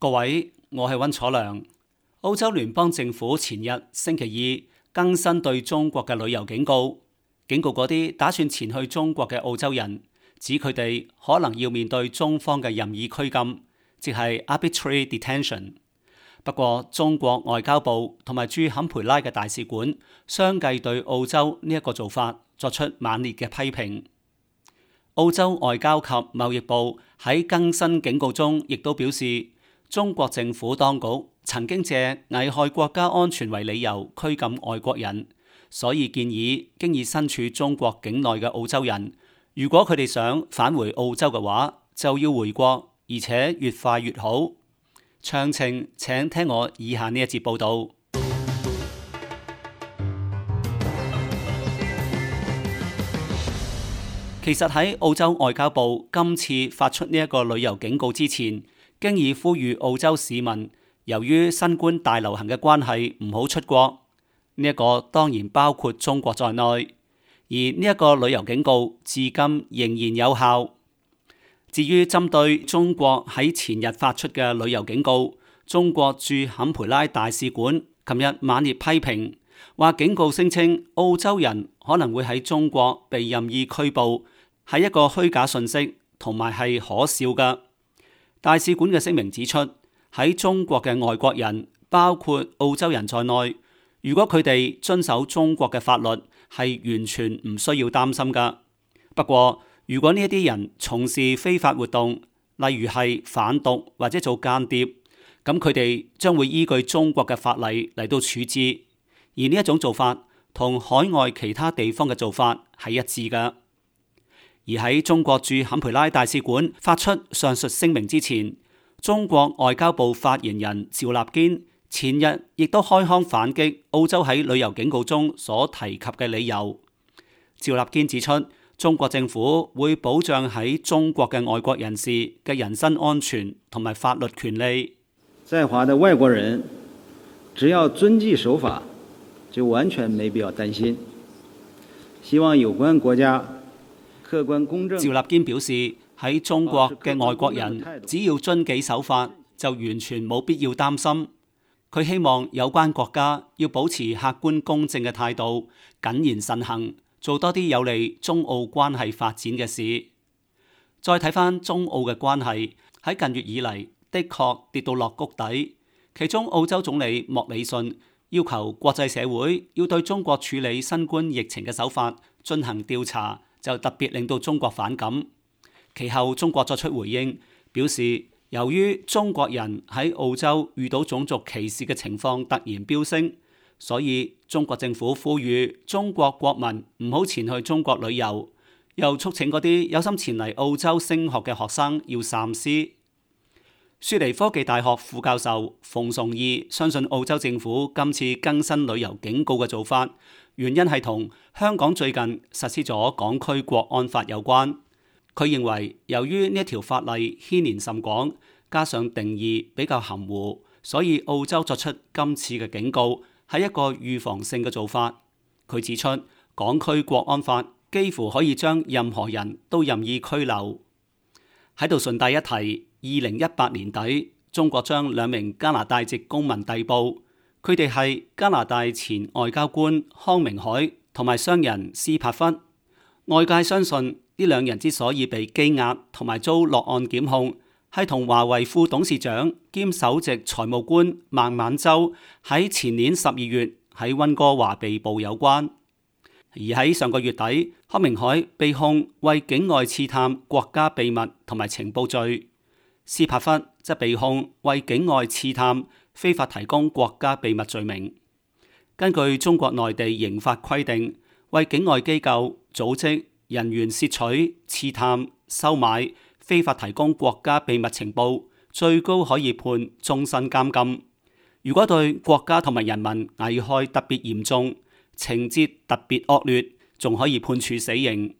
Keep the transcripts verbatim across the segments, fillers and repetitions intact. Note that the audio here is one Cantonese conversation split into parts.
各位，我係溫楚良。澳洲聯邦政府前日星期二更新對中國嘅旅遊警告，警告嗰啲打算前去中國嘅澳洲人，指佢哋可能要面對中方嘅任意拘禁，即係 arbitrary detention。不過，中國外交部同埋駐坎培拉嘅大使館相繼對澳洲呢一個做法作出猛烈嘅批評。澳洲外交及貿易部喺更新警告中，亦都表示，中國政府當局曾經借危害國家安全為理由拘禁外國人，所以建議經已身處中國境內嘅澳洲人，如果佢哋想返回澳洲嘅話，就要回國，而且越快越好。詳情請聽我以下呢一節報道。其實喺澳洲外交部今次發出呢一個旅遊警告之前，經已呼籲澳洲市民，由於新冠大流行嘅關係唔好出國。呢一個當然包括中國在內，而呢一個旅遊警告至今仍然有效。至於針對中國喺前日發出嘅旅遊警告，中國駐坎培拉大使館琴日猛烈批評，話警告聲稱澳洲人可能會喺中國被任意拘捕，係一個虛假信息，同埋係可笑嘅。大使館嘅聲明指出，喺中國嘅外國人，包括澳洲人在內，如果佢哋遵守中國嘅法律，係完全唔需要擔心噶。不過，如果呢一啲人從事非法活動，例如係販毒或者做間諜，咁佢哋將會依據中國嘅法例嚟到處置。而呢一種做法同海外其他地方嘅做法係一致噶。而喺中國駐坎培拉大使館發出上述聲明之前，中國外交部發言人趙立堅前日亦都開腔反擊澳洲喺旅遊警告中所提及嘅理由。趙立堅指出，中國政府會保障喺中國嘅外國人士嘅人身安全同埋法律權利。在華的外國人只要遵紀守法，就完全沒必要擔心。希望有關國家客觀公正。趙立堅表示，喺中國嘅外國人只要遵紀守法，就完全冇必要擔心。佢希望有關國家要保持客觀公正嘅態度，謹言慎行，做多啲有利中澳關係發展嘅事。再睇返中澳嘅關係，喺近月以嚟的確跌到落谷底。其中澳洲總理莫里遜要求國際社會要對中國處理新冠疫情嘅手法進行調查，就特別令到中國反感。其後中國作出回應，表示由於中國人喺澳洲遇到種族歧視嘅情況突然飆升，所以中國政府呼籲中國國民唔好前去中國旅遊，又促請嗰啲有心前嚟澳洲升學嘅學生要三思。雪梨科技大學副教授馮崇義相信澳洲政府今次更新旅遊警告嘅做法，原因係同香港最近實施咗港區國安法有關。佢認為，由於呢一條法例牽連甚廣，加上定義比較含糊，所以澳洲作出今次嘅警告係一個預防性嘅做法。佢指出，港區國安法幾乎可以將任何人都任意拘留。喺度順帶一提，二零一八年底，中國將兩名加拿大籍公民逮捕，佢哋係加拿大前外交官康明凱同埋商人斯帕弗。外界相信呢兩人之所以被羈押同埋遭落案檢控，係同華為副董事長兼首席財務官孟晚舟喺前年十二月喺溫哥華被捕有關。而喺上個月底，康明凱被控為境外刺探國家秘密同埋情報罪，斯帕弗則被控為境外刺探非法提供國家秘密罪名。根據中國內地刑法規定，為境外機構、組織、人員竊取、刺探、收買、非法提供國家秘密情報，最高可以判終身監禁。如果對國家同埋人民危害特別嚴重，情節特別惡劣，仲可以判處死刑。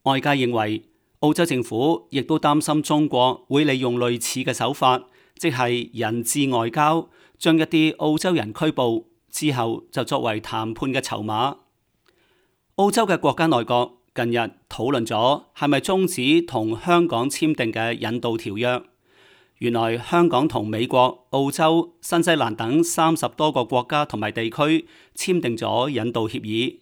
外界認為，澳洲政府亦都擔心中國會利用類似嘅手法，即係人質外交，將一啲澳洲人拘捕之後就作為談判嘅籌碼。澳洲嘅國家內閣近日討論咗係咪終止同香港簽訂嘅引渡條約。原來香港同美國、澳洲、新西蘭等三十多個國家同埋地區簽訂咗引渡協議。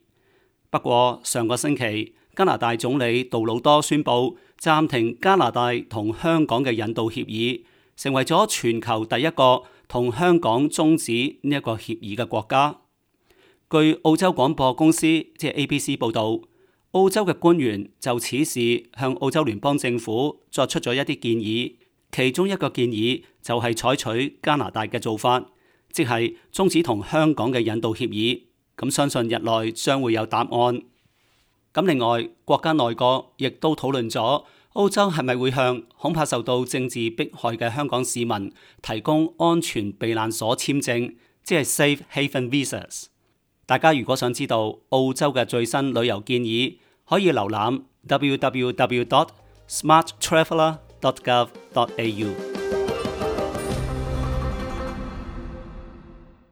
不過上個星期，加拿大總理杜魯多宣布暫停加拿大同香港嘅引渡協議，成為咗全球第一個同香港終止呢一個協議嘅國家。據澳洲廣播公司即係 A B C 報導，澳洲嘅官員就此事向澳洲聯邦政府作出咗一啲建議，其中一個建議就係採取加拿大嘅做法，即係終止同香港嘅引渡協議。咁相信日內將會有答案。咁另外，國家內閣亦都討論咗澳洲係咪會向恐怕受到政治迫害嘅香港市民提供安全避難所簽證，即係 Safe Haven Visas。大家如果想知道澳洲嘅最新旅遊建議，可以瀏覽 w w w dot smart traveller dot gov dot a u。